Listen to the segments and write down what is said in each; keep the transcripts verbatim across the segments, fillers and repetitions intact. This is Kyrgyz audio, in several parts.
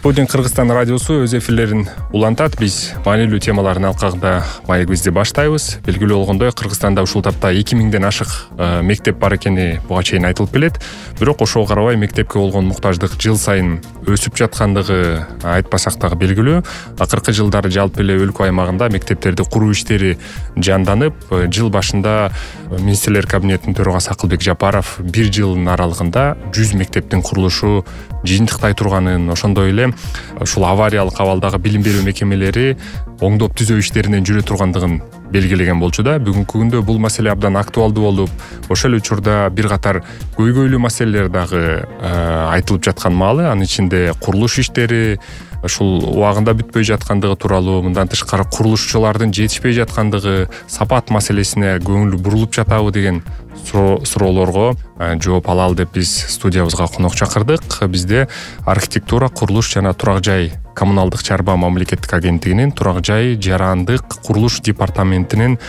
Спутник Кыргызстан радиосу өз эфирлерин улантат. Биз маанилүү темалардын алкагында маегибизди баштайбыз. Белгилүү болгондой, Кыргызстанда ушул тапта эки миңден ашык мектеп бар экени буга чейин айтылып келет. Бирок ошого карабай мектепке болгон муктаждык жыл сайын өсүп жаткандыгы айтпасак дагы белгилүү. Акыркы жылдары жалпы эле өлкө аймагында мектептерди куруу иштери жанданып, жыл башында министрлер кабинетинин төрагасы Акылбек Жапаров бир жылдын аралыгында жүз мектептин курулушу жыйынтыктай турганын, ошондой эле ушул авариялык абалдагы билим берүү мекемелери оңдоп түзөө иштеринен жүрө тургандыгын белгилеген болчу да. Бүгүнкү күндө бул маселе абдан актуалдуу болуп, ошол эле учурда бир катар көйгөйлүү маселелер дагы айтылып жаткан маалы. Анын ичинде курулуш иштери ушул убагында бүтпөй жаткандыгы тууралуу, мындан тышкары курулушчулардын жетишпей жаткандыгы, сапат маселесине көңүл бурулуп жатабы деген суроолорго жооп алалы деп биз студиябызга конок чакырдык. Бизде архитектура, курулуш жана турак жай коммуналдык чарба мамлекеттик агенттигинин турак жай жарандык курулуш департаментинин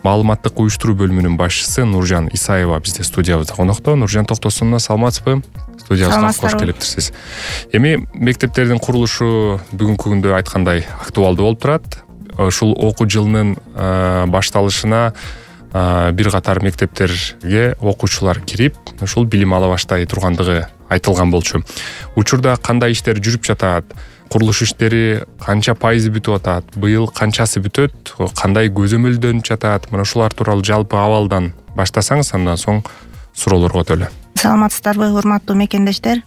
маалыматтык уюштуруу бөлүмүнүн башчысы Нуржан Исаева бизде студиябызда конокто. Нуржан Токтосуновна, саламатсызбы? Студиябызга кош келиптирсиз. Эми мектептердин курулушу бүгүнкү күндө айткандай актуалдуу болуп турат. Ушул окуу жылынын башталышына бир катар мектептерге окуучулар кирип, ушул билим ала баштай тургандыгы айтылган болчу. Учурда кандай иштер жүрүп жатат? Курулуш иштери канча пайызы бүтүп атат? Быйыл канчасы бүтөт? Кандай көзөмөлдөнүп жатат? Мына ушулар тууралуу жалпы абалдан баштасаңыз, андан соң суроолорго өтөлү. Саламатсыздарбы, урматтуу мекендештер?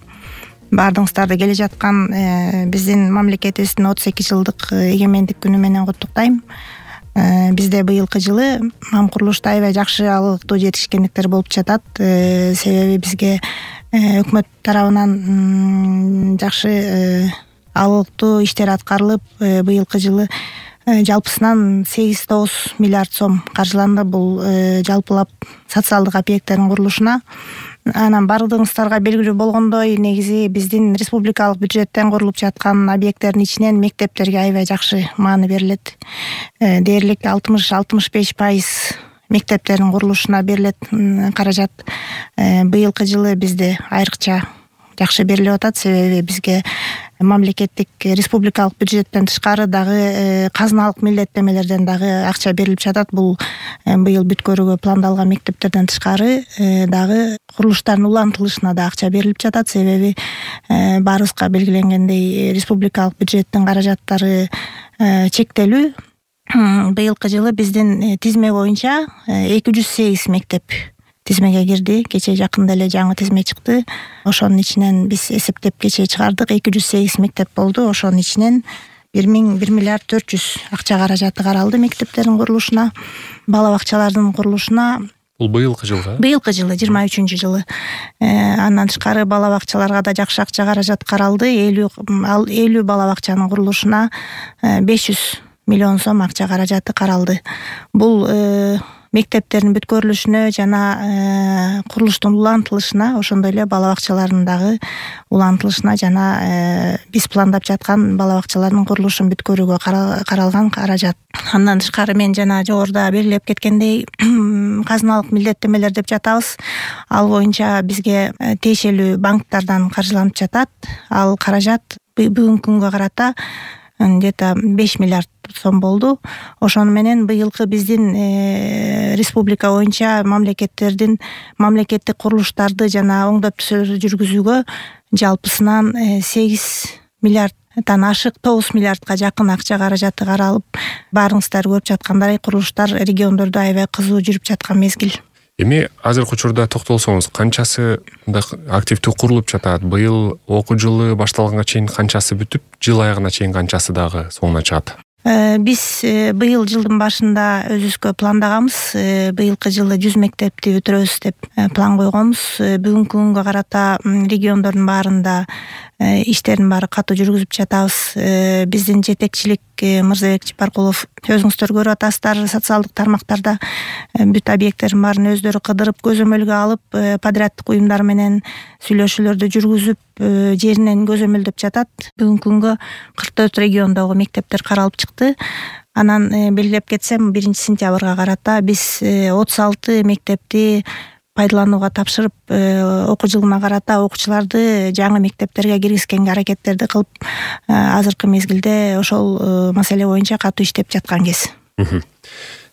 Баардыгыңыздарды келе жаткан биздин мамлекетибиздин отуз эки жылдык эгемендик күнү менен куттуктайм. Бизде быйылкы жылы мам курулушта аябай жакшы алыктуу жетишкендиктер болуп жатат. Себеби бизге өкмөт тарабынан жакшы алыктуу иштер аткарылып, быйылкы жылы жалпысынан сегиз тогуз миллиард сом каржыланды бул жалпылап социалдык объекттердин курулушуна. Анан бардыгыңыздарга белгилүү болгондой, негизи биздин республикалык бюджеттен курулуп жаткан объекттердин ичинен мектептерге аябай жакшы мааны берилет. Дээрлик алтымыш алтымыш беш пайыз мектептердин курулушуна берилет каражат. Быйылкы жылы бизде айрыкча жакшы берилип атат, себеби бизге мамлекеттик республикалык бюджеттен тышкары дагы казыналык милдеттемелерден дагы акча берилип жатат. Бул быйыл бүткөрүүгө пландалган мектептерден тышкары дагы курулуштардын улантылышына да акча берилип жатат. Себеби баарыбызга белгиленгендей республикалык бюджеттин каражаттары чектелүү. Быйылкы жылы биздин тизме боюнча эки жүз сегиз мектеп тизмеге кирди. Кечээ жакында эле жаңы тизме чыкты. Ошонун ичинен биз эсептеп кечээ чыгардык. эки жүз сегиз мектеп болду. Ошонун ичинен бир миллиард төрт жүз акча каражаты каралды мектептердин курулушуна, бала бакчалардын курулушуна. Бул быйылкы жылга? Быйылкы жылы, жыйырма үчүнчү жылы. Андан тышкары бала бакчаларга да жакшы акча каражат каралды. элүү бала бакчанын курулушуна беш жүз миллион сом акча каражаты каралды. Бул мектептердин бүткөрүлүшүнө жана курулуштун улантылышына, ошондой эле бала бакчалардын дагы улантылышына жана биз пландап жаткан бала бакчалардын курулушун бүткөрүүгө каралган каражат. Андан тышкары мен жана жогоруда белгилеп кеткендей, казыналык милдеттемелер деп жатабыз. Ал боюнча бизге тиешелүү банктардан каржыланып жатат. Ал каражат бүгүнкү күнгө карата где-то беш миллиард сом болду. Ошону менен быйылкы биздин республика боюнча мамлекеттердин мамлекеттик курулуштарды жана оңдоп түзөө жүргүзүүгө жалпысынан сегиз миллиарддан ашык тогуз миллиардка жакын акча каражаты каралып, баарыңыздар көрүп жаткандай курулуштар региондордо аябай кызуу жүрүп жаткан мезгил. Эми азыркы учурда токтолсоңуз, канчасы активдүү курулуп жатат? Быйыл окуу жылы башталганга чейин канчасы бүтүп, жыл аягына чейин канчасы дагы соңуна чыгат? Биз быйыл жылдын башында өзүбүзгө пландаганбыз. Быйылкы жылы жүз мектепти бүтүрөбүз деп план койгонбуз. Бүгүнкү күнгө карата региондордун баарында иштердин баары катуу жүргүзүп жатабыз. Биздин жетекчилик Мырзабек Жапаркулов, өзүңүздөр көрүп атасыздар, социалдык тармактарда бүт объекттердин баарын өздөрү кыдырып, көзөмөлгө алып, подряддык уюмдар менен сүйлөшүүлөрдү жүргүзүп, жеринен көзөмөлдөп жатат. Бүгүнкү күнгө кырк төрт региондогу мектептер каралып чыкты. Анан белгилеп кетсем, биринчи сентябрга карата биз отуз алты мектепти пайдаланууга тапшырып, окуу жылына карата окуучуларды жаңы мектептерге киргизгенге аракеттерди кылып, азыркы мезгилде ошол маселе боюнча катуу иштеп жаткан кез.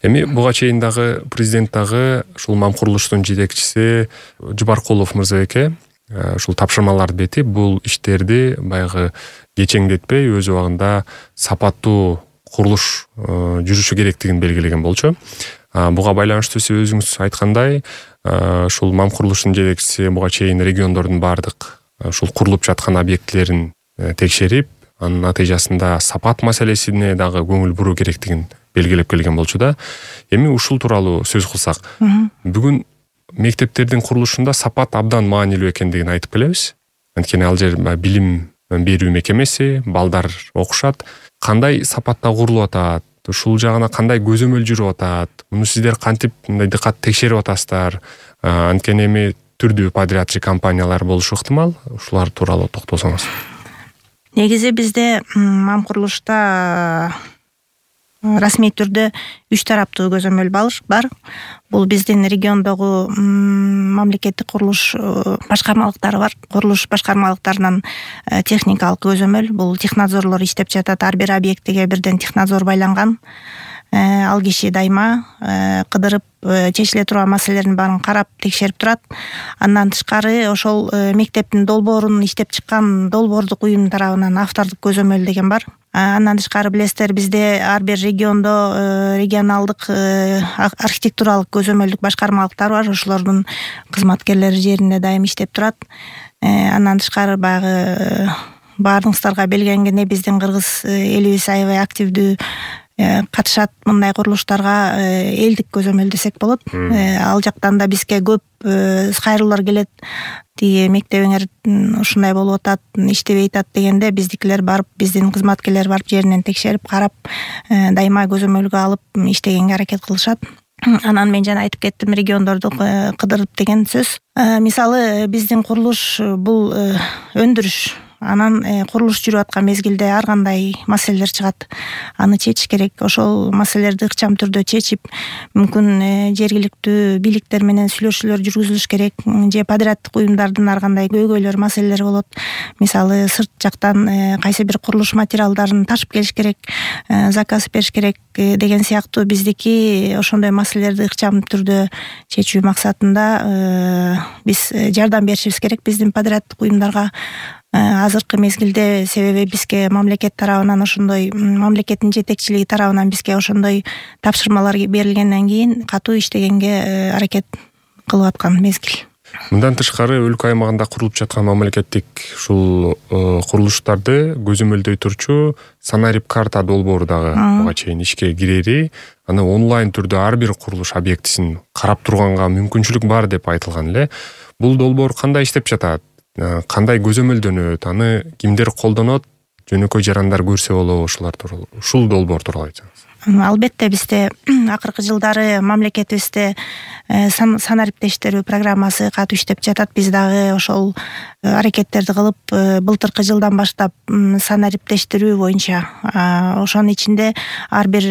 Эми буга чейин дагы президент дагы ушул мам курулуштун жетекчиси Жубаркулов мырзабеке ушул тапшырмаларды бетип, бул иштерди баягы кечеңдетпей, өз убагында сапаттуу курулуш жүрүшү керектигин белгилеген болчу. Буга байланыштуу сиз өзүңүз айткандай, ушул мам курулуштун жетекчиси буга чейин региондордун баардык ушул курулуп жаткан объектилерин текшерип, анын натыйжасында сапат маселесине дагы көңүл буруу керектигин белгилеп келген болчу да. Эми ушул тууралуу сөз кылсак, бүгүн мектептердин курулушунда сапат абдан маанилүү экендигин айтып келебиз. Анткени ал жер билим берүү мекемеси, балдар окушат. Кандай сапатта курулуп атат? Ушул жагына кандай көзөмөл жүрүп атат? Муну сиздер кантип мындай дыкат текшерип атасыздар? Анткени эми түрдүү подрядчы компаниялар болушу ыктымал. Ушулар тууралуу токтолсоңуз. Негизи бизде мам курулушта расмий түрдө үч тараптуу көзөмөл бар. Бул биздин региондогу мамлекеттик курулуш башкармалыктары бар. Курулуш башкармалыктарынан техникалык көзөмөл, бул технадзорлор иштеп жатат. Ар бир объектиге бирден технадзор байланган. Ал киши дайыма кыдырып, чечиле турган маселелердин баарын карап, текшерип турат. Андан тышкары ошол мектептин долбоорун иштеп чыккан долбоордук уюм тарабынан автордук көзөмөл деген бар. Андан тышкары билесиздер, бизде ар бир региондо регионалдык архитектуралык көзөмөлдүк башкармалыктар бар. Ошолордун кызматкерлери жеринде дайым иштеп турат. Андан тышкары баягы баарыңыздарга белгиленгендей биздин кыргыз элибиз аябай активдүү катышат мындай курулуштарга, элдик көзөмөл десек болот. Ал жактан да бизге көп кайрылуулар келет. Тиги мектебиңер ушундай болуп атат, иштебей атат дегенде биздикилер барып, биздин кызматкерлер барып жеринен текшерип, карап, дайыма көзөмөлгө алып иштегенге аракет кылышат. Анан мен жана айтып кеттим, региондорду кыдырып деген сөз. Мисалы, биздин курулуш бул өндүрүш. Анан курулуш жүрүп аткан мезгилде ар кандай маселелер чыгат. Аны чечиш керек. Ошол маселелерди ыкчам түрдө чечип, мүмкүн жергиликтүү бийликтер менен сүйлөшүүлөр жүргүзүлүш керек. Же подряддык уюмдардын ар кандай көйгөйлөр, маселелери болот. Мисалы, сырт жактан кайсы бир курулуш материалдарын ташып келиш керек, заказ бериш керек деген сыяктуу биздики ошондой маселелерди ыкчам түрдө чечүү максатында биз жардам беришибиз керек биздин подряддык уюмдарга. Азыркы мезгилде, себеби бизге мамлекет тарабынан ошондой, мамлекеттин жетекчилиги тарабынан бизге ошондой тапшырмалар берилгенден кийин катуу иштегенге аракет кылып аткан мезгил. Мындан тышкары өлкө аймагында курулуп жаткан мамлекеттик ушул курулуштарды көзөмөлдөй турчу санарип карта долбоору дагы буга чейин ишке кирери, аны онлайн түрдө ар бир курулуш объектисин карап турганга мүмкүнчүлүк бар деп айтылган эле. Бул долбоор кандай иштеп жатат? Кандай көзөмөлдөнөт? Аны кимдер колдонот? Жөнөкөй жарандар көрсө болобу ушулар тууралуу? Ушул долбоор тууралуу айтсаңыз. Албетте, бизде акыркы жылдары мамлекетибизде санариптештирүү программасы катуу иштеп жатат. Биз дагы ошол аракеттерди кылып, былтыркы жылдан баштап санариптештирүү боюнча, ошонун ичинде ар бир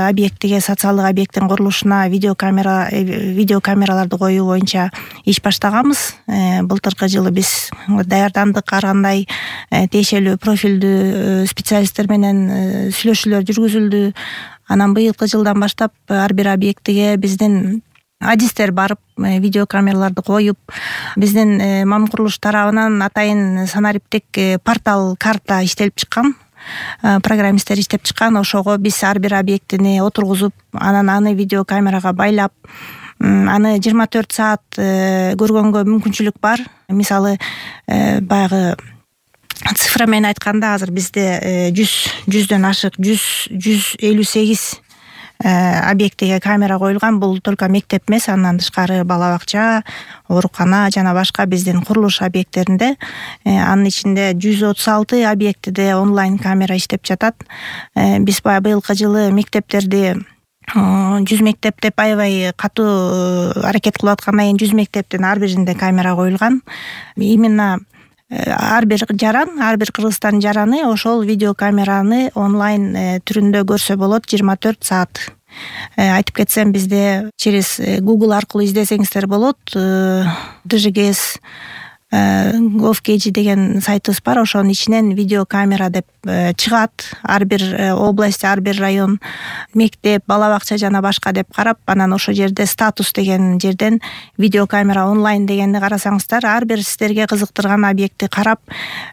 объектиге, социалдык объекттин курулушуна видеокамера видеокамераларды коюу боюнча иш баштаганбыз. Былтыркы жылы биз даярдандык, ар кандай тиешелүү профилдүү специалисттер менен сүйлөшүүлөр жүргүзүлдү. Анан быйылкы жылдан баштап ар бир объектиге биздин адистер барып, видеокамераларды коюп, биздин мам курулуш тарабынан атайын санариптик портал карта иштелип чыккан. Программисттер иштеп чыккан. Ошого биз ар бир объектини отургузуп, анан аны видеокамерага байлап, аны жыйырма төрт саат көргөнгө мүмкүнчүлүк бар. Мисалы, баягы цифра менен айтканда, азыр бизде жүз жүздөн ашык жүз элүү сегиз объектиге камера коюлган. Бул только мектеп эмес, андан тышкары бала бакча, оорукана жана башка биздин курулуш объекттеринде. Анын ичинде жүз отуз алты объектиде онлайн камера иштеп жатат. Биз быйылкы жылы мектептерди жүз мектеп деп аябай катуу аракет кылып аткандан кийин жүз мектептин ар биринде камера коюлган. Именно ар бир жаран, ар бир Кыргызстан жараны ошол видеокамераны онлайн түрүндө көрсө болот жыйырма төрт саат. Айтып кетсем, бизде через Google аркылуу издесеңиздер болот. ДЖГС gov.kg деген сайтыбыз бар. Ошонун ичинен видеокамера деп чыгат. Ар бир область, ар бир район, мектеп, бала бакча жана башка деп карап, анан ошол жерде статус деген жерден видеокамера онлайн дегенди карасаңыздар, ар бир сиздерге кызыктырган объектти карап,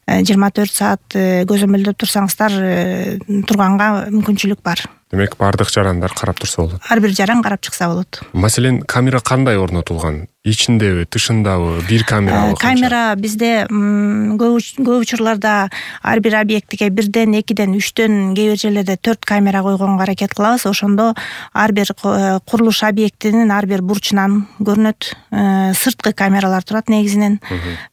жыйырма төрт саат көзөмөлдөп турсаңыздар турганга мүмкүнчүлүк бар. Демек, бардык жарандар карап турса болот. Ар бир жаран карап чыкса болот. Маселен, камера кандай орнотулган? Ичиндеби, тышындабы, бир камерабы? Камера бизде көп учурларда ар бир объектиге бирден, экиден, үчтөн, кээ бир жерлерде төрт камера койгонго аракет кылабыз. Ошондо ар бир курулуш объектинин ар бир бурчунан көрүнөт. Сырткы камералар турат негизинен.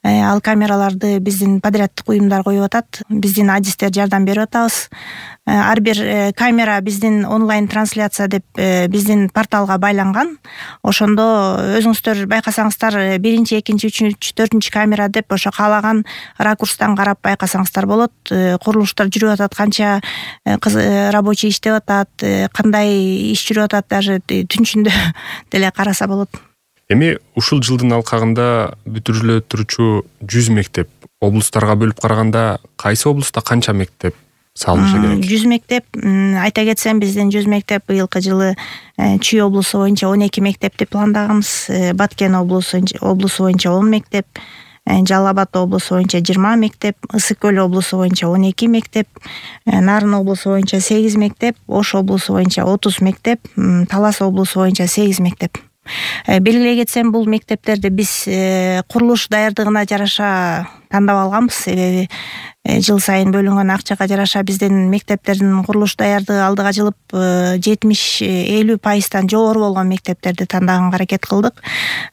Ал камераларды биздин подряддык уюмдар коюп атат. Биздин адистер жардам берип атабыз. Ар бир камера биздин онлайн трансляция деп биздин порталга байланган. Ошондо өзүңүздөр байкасаңыздар, биринчи, экинчи, үчүнчү, төртүнчү камера деп ошо каалаган ракурстан карап байкасаңыздар болот. Курулуштар жүрүп атат, канча рабочий иштеп атат, кандай иш жүрүп атат, даже түнчүндө деле караса болот. Эми ушул жылдын алкагында бүтүрүлө турчу жүз мектеп облустарга бөлүп караганда кайсы облуста канча мектеп салынышы керек? жүз мектеп, айта кетсем, биздин жүз мектеп быйылкы жылы Чүй облусу боюнча он эки мектеп деп пландаганбыз. Баткен облусу облусу боюнча он мектеп, Жалал Абад облусу боюнча жыйырма мектеп, Ысык көл облусу боюнча он эки мектеп, Нарын облусу боюнча сегиз мектеп, Ош облусу боюнча отуз мектеп, Талас облусу боюнча сегиз мектеп. Белгилей кетсем, бул мектептерди биз курулуш даярдыгына жараша тандап алганбыз. Себеби жыл сайын бөлүнгөн акчага жараша биздин мектептердин курулуш даярдыгы алдыга жылып жетимиш элүү пайыздан жогору болгон мектептерди тандаганга аракет кылдык.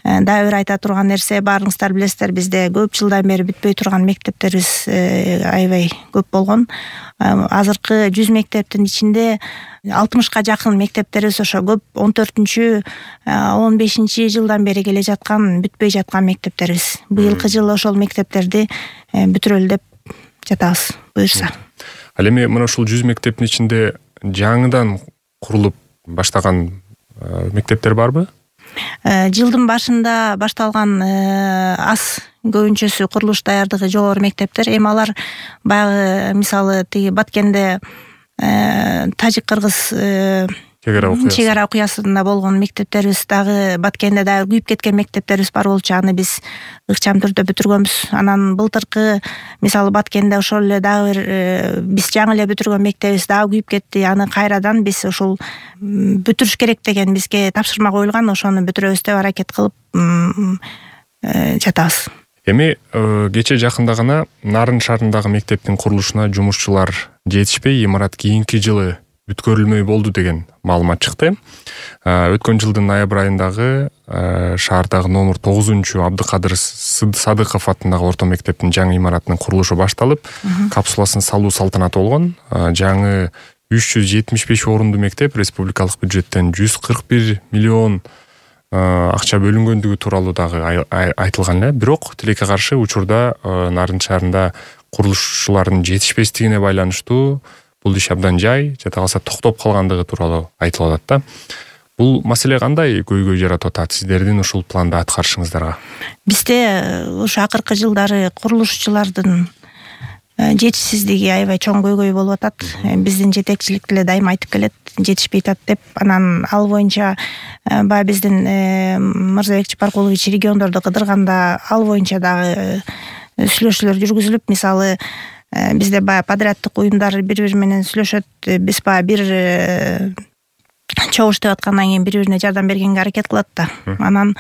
Дагы бир айта турган нерсе, баарыңыздар билесиздер, бизде көп жылдан бери бүтпөй турган мектептерибиз аябай көп болгон. Азыркы жүз мектептин ичинде алтымышка жакын мектептерибиз ошо көп он төртүнчү, он бешинчи жылдан бери келе жаткан, бүтпөй жаткан мектептерибиз. Быйылкы жылы ошол мектептерди бүтүрөлү деп жатабыз, буюрса. Ал эми мына ушул жүз мектептин ичинде жаңыдан курулуп баштаган мектептер барбы? Жылдын башында башталган аз көбүнчөсү курулуш даярдыгы жогору мектептер. Эми алар баягы, мисалы, тиги Баткенде тажик-кыргыз чек ара окуясында болгон мектептерибиз, дагы Баткенде дагы күйүп кеткен мектептерибиз бар болчу. Аны биз ыкчам түрдө бүтүргөнбүз. Анан былтыркы, мисалы, Баткенде ошол эле дагы бир биз жаңы эле бүтүргөн мектебибиз дагы күйүп кетти. Аны кайрадан биз ошол бүтүрүш керек деген бизге тапшырма коюлган. Ошону бүтүрөбүз деп аракет кылып жатабыз. Эми кече жакында гана Нарын шаарындагы мектептин курулушуна жумушчулар жетишпей, имарат кийинки жылы бүткөрүлмөй болду деген маалымат чыкты. Өткөн жылдын ноябрь айындагы шаардагы номер тогузунчу Абдыкадыр Садыков атындагы орто мектептин жаңы имаратынын курулушу башталып, капсуласын салуу салтанаты болгон. Жаңы үч жүз жетимиш беш орунду мектеп республикалык бюджеттен жүз кырк бир миллион акча бөлүнгөндүгү тууралуу дагы айтылган эле. Бирок тилекке каршы учурда Нарын шаарында курулушчулардын жетишпестигине байланыштуу бул иш абдан жай, жата калса токтоп калгандыгы тууралуу айтылып атат да. Бул маселе кандай көйгөй жаратып атат сиздердин ушул планда аткарышыңыздарга? Бизде ушу акыркы жылдары курулушчулардын жетишсиздиги аябай чоң көйгөй болуп атат. Биздин жетекчилик деле дайыма айтып келет, жетишпей атат деп. Анан ал боюнча баягы биздин Мырзабек Чапаркулович региондорду кыдырганда ал боюнча дагы сүйлөшүүлөр жүргүзүлүп, мисалы, бизде баягы подряддык уюмдар бири-бири менен сүйлөшөт. Биз баягы бир чогуу иштеп аткандан кийин бири-бирине жардам бергенге аракет кылат да. Анан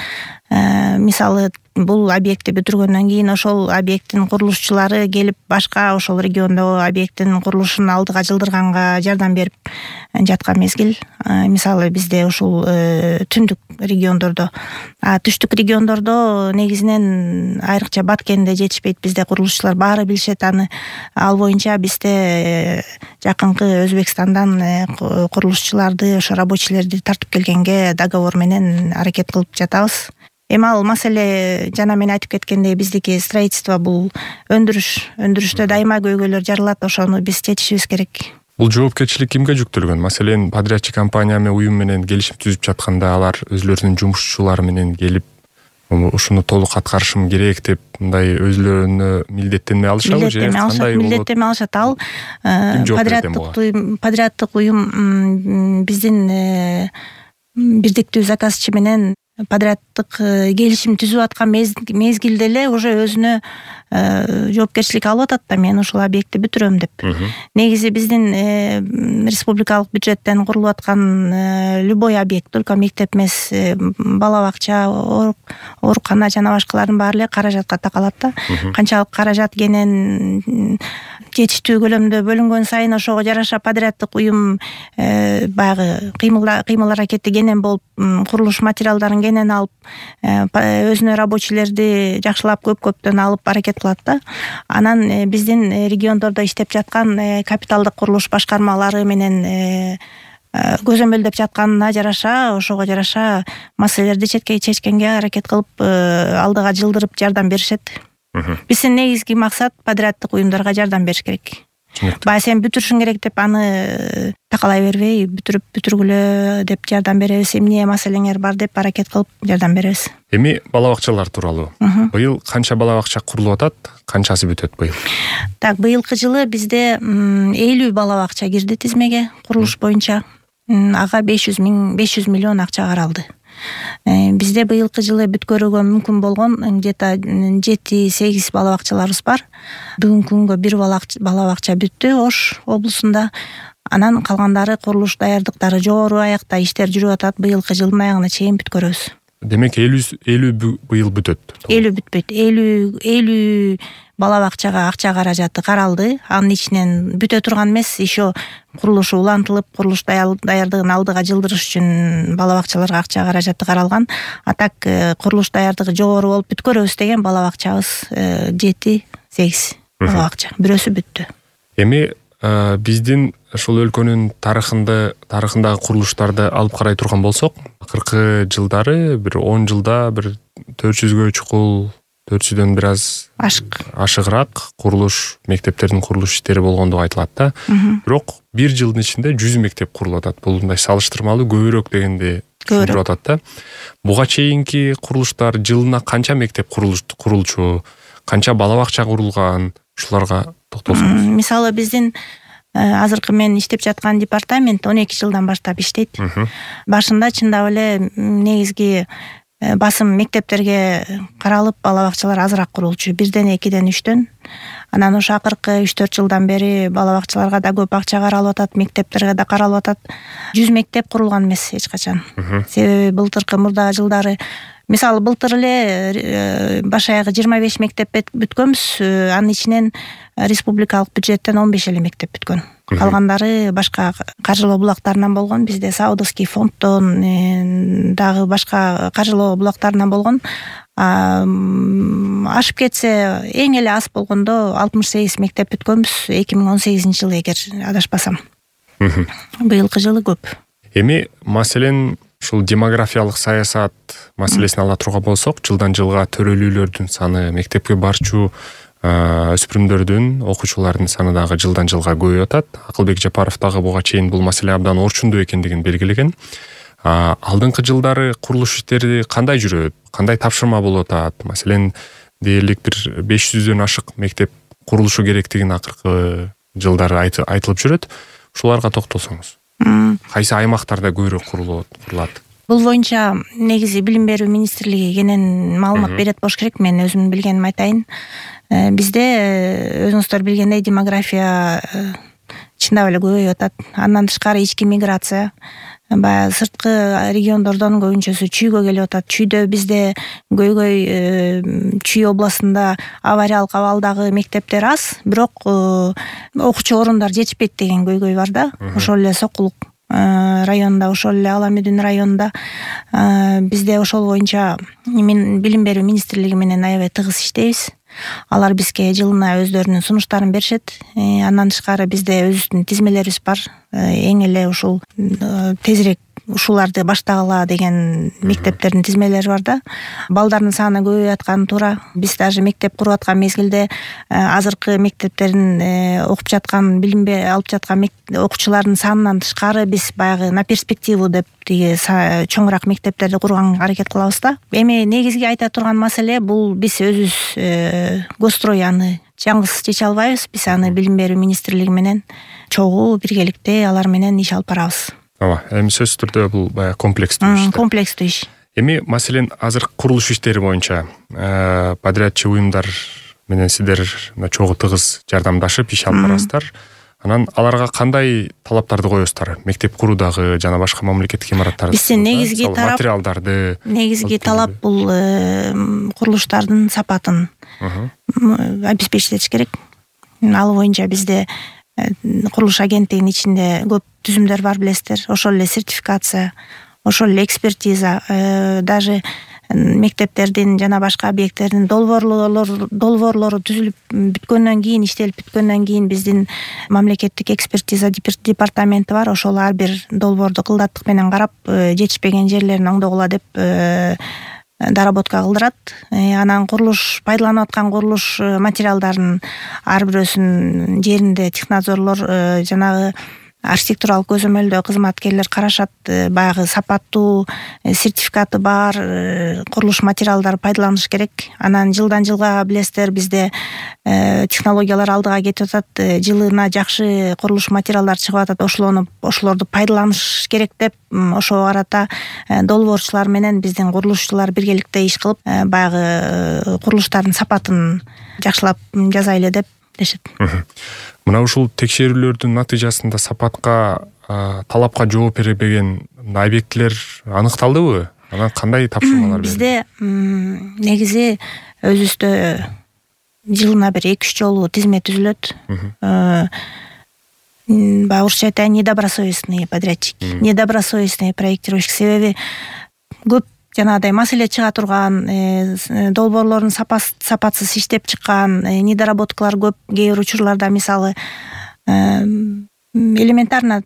мисалы, бул объектти бүтүргөндөн кийин ошол объекттин курулушчулары келип башка ошол региондогу объекттин курулушун алдыга жылдырганга жардам берип жаткан мезгил. Мисалы, бизде ушул түндүк региондордо, түштүк региондордо негизинен айрыкча Баткенде жетишпейт бизде курулушчулар, баары билишет аны. Ал боюнча бизде жакынкы Өзбекстандан курулушчуларды, ошо рабочийлерди тартып келгенге договор менен аракет кылып жатабыз. Эми ал маселе жана мен айтып кеткендей, биздики строительство бул өндүрүш. Өндүрүштө дайыма көйгөйлөр жаралат, ошону биз чечишибиз керек. Бул жоопкерчилик кимге жүктөлгөн? Маселен, подрядчы компания менен уюм менен келишим түзүп жатканда алар өзлөрүнүн жумушчулары менен келип ушуну толук аткарышым керек деп мындай өзлөрүнө милдеттенме алышабы же кандай болот? Милдеттенме алышат. Ал подряддык подряддык уюм биздин бирдиктүү заказчы менен подряддык келишим түзүп аткан мезгилде эле уже өзүнө жоопкерчилик алып атат да, мен ушул объектти бүтүрөм деп. Негизи биздин республикалык бюджеттен курулуп аткан любой объект, только мектеп эмес, бала бакча, оорукана жана башкалардын баары эле каражатка такалат да. Канчалык каражат кенен жетиштүү көлөмдө бөлүнгөн сайын ошого жараша подряддык уюм баягы кыймыл аракети кенен болуп, курулуш материалдарын кенен алып, өзүнө рабочийлерди жакшылап көп-көптөн алып аракет кылат да. Анан биздин региондордо иштеп жаткан капиталдык курулуш башкармалары менен көзөмөлдөп жатканына жараша, ошого жараша маселелерди четке чечкенге аракет кылып, алдыга жылдырып жардам беришет. Биздин негизги максат подряддык уюмдарга жардам бериш керек. Бая сен бүтүрүшүң керек деп аны такалай бербей, бүтүрүп бүтүргүлө деп жардам беребиз. Эмне маселеңер бар деп аракет кылып жардам беребиз. Эми бала бакчалар тууралуу. Быйыл канча бала бакча курулуп атат? Канчасы бүтөт быйыл? Так, быйылкы жылы бизде элүү бала бакча кирди тизмеге курулуш боюнча. Ага беш жүз миң, беш жүз миллион акча каралды. Бизде быйылкы жылы бүткөрүүгө мүмкүн болгон где-то жети сегиз бала бакчаларыбыз бар. Бүгүнкү күнгө бир бала бакча бүттү Ош облусунда. Анан калгандары курулуш даярдыктары жогору аякта иштер жүрүп атат. Быйылкы жылдын аягына чейин бүткөрөбүз. Демек элүү быйыл бүтөт. элүү бүтпөйт. элүү элүү бала бакчага акча каражаты каралды. Анын ичинен бүтө турган эмес, еще курулушу улантылып, курулуш даярдыгын алдыга жылдырыш үчүн бала бакчаларга акча каражаты каралган. А так курулуш даярдыгы жогору болуп бүткөрөбүз деген бала бакчабыз жети сегиз бала бакча. Бирөөсү бүттү. Эми биздин ушул өлкөнүн тарыхында тарыхындагы курулуштарды алып карай турган болсок, акыркы жылдары бир он жылда бир төрт жүзгө чукул, төрт жүздөн бир аз ашык ашыгыраак курулуш, мектептердин курулуш иштери болгондугу айтылат да. Бирок бир жылдын ичинде жүз мектеп курулуп атат. Бул мындай салыштырмалуу көбүрөөк дегенде түшүндүрүп атат да. Буга чейинки курулуштар жылына канча мектеп курулчу, канча бала бакча курулган, ушуларга токтолсоңуз. Мисалы биздин азыркы мен иштеп жаткан департамент он эки жылдан баштап иштейт. Башында чындап эле негизги басым мектептерге каралып, бала бакчалар азыраак курулчу, бирден, экиден, үчтөн. Анан ошо акыркы үч төрт жылдан бери бала бакчаларга да көп акча каралып атат, мектептерге да каралып атат. жүз мектеп курулган эмес эч качан. Себеби былтыркы мурдагы жылдары, мисалы былтыр эле баш аягы жыйырма беш мектеп бүткөнбүз, анын ичинен республикалык бюджеттен он беш эле мектеп бүткөн. Калгандары башка каржылоо булактарынан болгон. Бизде Саудовский фонддон дагы башка каржылоо булактарынан болгон. Ашып кетсе, эң эле аз болгондо алтымыш сегиз мектеп бүткөнбүз эки миң он сегизинчи жылы, эгер адашпасам. Быйылкы жылы көп. Эми маселен ушул демографиялык саясат маселесин ала турган болсок, жылдан жылга төрөлүүлөрдүн саны, мектепке барчу өспүрүмдөрдүн, окуучулардын саны дагы жылдан жылга көбөйүп атат. Акылбек Жапаров дагы буга чейин бул маселе абдан орчундуу экендигин белгилеген. Алдыңкы жылдары курулуш иштери кандай жүрөт? Кандай тапшырма болуп атат? Маселен, дээрлик бир беш жүздөн ашык мектеп курулушу керектигин акыркы жылдары айтылып жүрөт. Ушуларга токтолсоңуз. Кайсы аймактарда көбүрөөк курулат? Бул боюнча негизи Билим берүү министрлиги кенен маалымат берет болуш керек. Мен өзүмдүн билгенимди айтайын. Бизде өзүңүздөр билгендей демография чындап эле көбөйүп атат. Андан тышкары ички миграция, баягы сырткы региондордон көбүнчөсү чүйгө келип атат. Чүйдө бизде көйгөй Чүй областында авариялык абалдагы мектептер аз, бирок окуучу орундар жетишпейт деген көйгөй бар да. Ошол эле Сокулук районунда, ошол эле Ала Мүдүн районунда бизде ошол боюнча Билим берүү министрлиги менен аябай тыгыз иштейбиз. Алар бизге жылына өздөрүнүн сунуштарын беришет. Андан тышкары бизде өзүбүздүн тизмелерибиз бар. Эң эле ушул тезирээк ушуларды баштагыла деген мектептердин тизмелери бар да. Балдардын саны көбөйүп атканы туура. Биз даже мектеп куруп аткан мезгилде азыркы мектептерин окуп жаткан, билим алып жаткан окуучулардын санынан тышкары биз баягы на перспективу деп тиги чоңураак мектептерди курганга аракет кылабыз да. Эми негизги айта турган маселе бул биз өзүбүз Госстрой аны жаңгыз чече албайбыз. Биз аны билим берүү министрлиги менен чогуу биргеликте алар менен иш алып барабыз. Ооба, эми сөзсүз түрдө бул баягы комплекстүү иш. Комплекстүү иш. Эми маселен азыр курулуш иштери боюнча подрядчы уюмдар менен сиздер чогуу тыгыз жардамдашып иш алып барасыздар. Анан аларга кандай талаптарды коесуздар? Мектеп куруудагы жана башка мамлекеттик имараттарды. Биздин негизги талап материалдарды, негизги талап бул курулуштардын сапатын обеспечить керек. Ал боюнча бизде курулуш агенттигинин ичинде көп түзүмдөр бар, билесиздер. Ошол эле сертификация, ошол эле экспертиза, даже мектептердин жана башка объекттердин долбоорлору долбоорлору түзүлүп бүткөндөн кийин, иштелип бүткөндөн кийин биздин мамлекеттик экспертиза департаменти бар. Ошол ар бир долбоорду кылдаттык менен карап, жетишпеген жерлерин оңдогула деп доработка кылдырат. Анан курулуш, пайдаланып аткан курулуш материалдарын ар бирөөсүнүн жеринде технадзорлор, жанагы архитектуралык көзөмөлдөө кызматкерлер карашат. Баягы сапаттуу, сертификаты бар курулуш материалдары пайдаланыш керек. Анан жылдан жылга билесиздер, бизде технологиялар алдыга кетип атат. Жылына жакшы курулуш материалдар чыгып атат. Ошолону ошолорду пайдаланыш керек деп, ошого карата долбоорчулар менен биздин курулушчулар биргеликте иш кылып, баягы курулуштардын сапатын жакшылап жасайлы деп дешет. Мына ушул текшерүүлөрдүн натыйжасында сапатка, талапка жооп бербеген объектилер аныкталдыбы? Анан кандай тапшырмалар берилди? Бизде негизи өзүбүздө жылына бир эки үч жолу тизме түзүлөт. Баягы орусча айтайын, недобросовестный подрядчик, недобросовестный проектировщик. Себеби көп жанагыдай маселе чыга турган, долбоорлордун сапатсыз иштеп чыккан, недоработкалар көп. Кээ бир учурларда мисалы элементарно,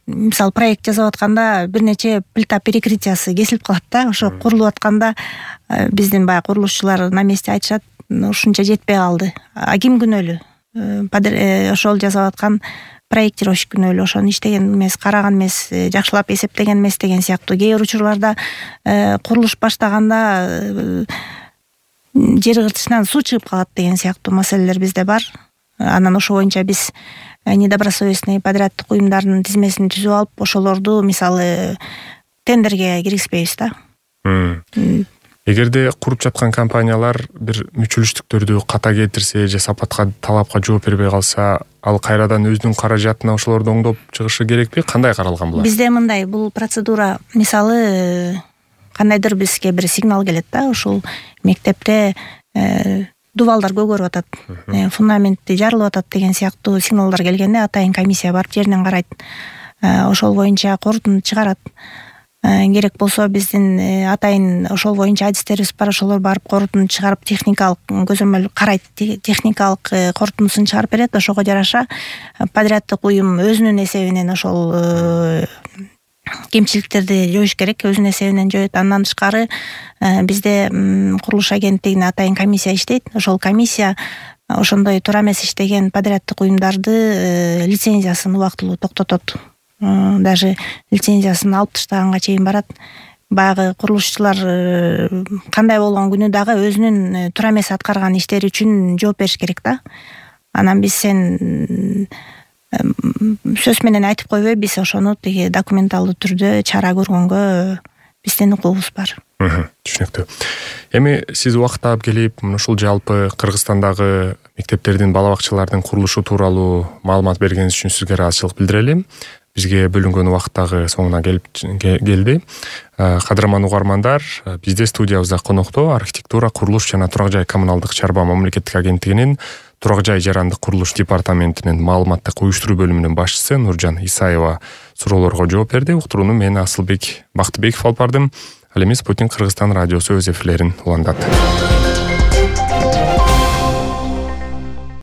мисалы проект жасап атканда бир нече плита перекрытиясы кесилип калат да. Ошо курулуп атканда биздин баягы курулушчулар на месте айтышат, ушунча жетпей калды. А ким күнөөлүү? Ошол жасап аткан проектировщик күнөөлүү, ошону иштеген эмес, караган эмес, жакшылап эсептеген эмес деген сыяктуу. Кээ бир учурларда курулуш баштаганда жер кыртышынан суу чыгып калат деген сыяктуу маселелер бизде бар. Анан ошо боюнча биз недобросовестный подряддык уюмдардын тизмесин түзүп алып, ошолорду мисалы тендерге киргизбейбиз да. Эгерде куруп жаткан компаниялар бир мүчүлүштүктөрдү ката келтирсе же сапатка, талапка жооп бербей калса, ал кайрадан өзүнүн каражатына ошолорду оңдоп чыгышы керекпи? Кандай каралган булар? Бизде мындай, бул процедура, мисалы кандайдыр бизге бир сигнал келет да, ушул мектепте дубалдар көгөрүп атат, фундаменти жарылып атат деген сыяктуу сигналдар келгенде атайын комиссия барып жеринен карайт. Ошол боюнча корутунду чыгарат. Керек болсо биздин атайын ошол боюнча адистерибиз бар, ошолор барып корутунду чыгарып, техникалык көзөмөл карайт, техникалык корутундусун чыгарып берет. Ошого жараша подряддык уюм өзүнүн эсебинен ошол кемчиликтерди жоюш керек, өзүнүн эсебинен жоет. Андан тышкары бизде курулуш агенттигине атайын комиссия иштейт. Ошол комиссия ошондой туура эмес иштеген подряддык уюмдарды лицензиясын убактылуу токтотот. Даже лицензиясын алып таштаганга чейин барат. Баягы курулушчулар кандай болгон күнү дагы өзүнүн туура эмес аткарган иштери үчүн жооп бериш керек да. Анан биз сен сөз менен айтып койбой, биз ошону тиги документалдуу түрдө чара көргөнгө биздин укугубуз бар. Түшүнүктүү. Эми сиз убакыт таап келип, ушул жалпы Кыргызстандагы мектептердин, бала бакчалардын курулушу тууралуу маалымат бергениңиз үчүн сизге ыраазычылык билдирели. Бизге бөлүнгөн убакыттагы соңуна келип келди. Кадырман угармандар, бизде студиябызда конокто архитектура, курулуш жана турак жай коммуналдык чарба мамлекеттик агенттигинин турак жай жарандык курулуш департаментинин маалыматтык уюштуруу бөлүмүнүн башчысы Нуржан Исаева суроолорго жооп берди. Уктурууну мен Асылбек Бактыбеков алып бардым. Ал эми Спутник Кыргызстан радиосу өз эфирлерин улантат.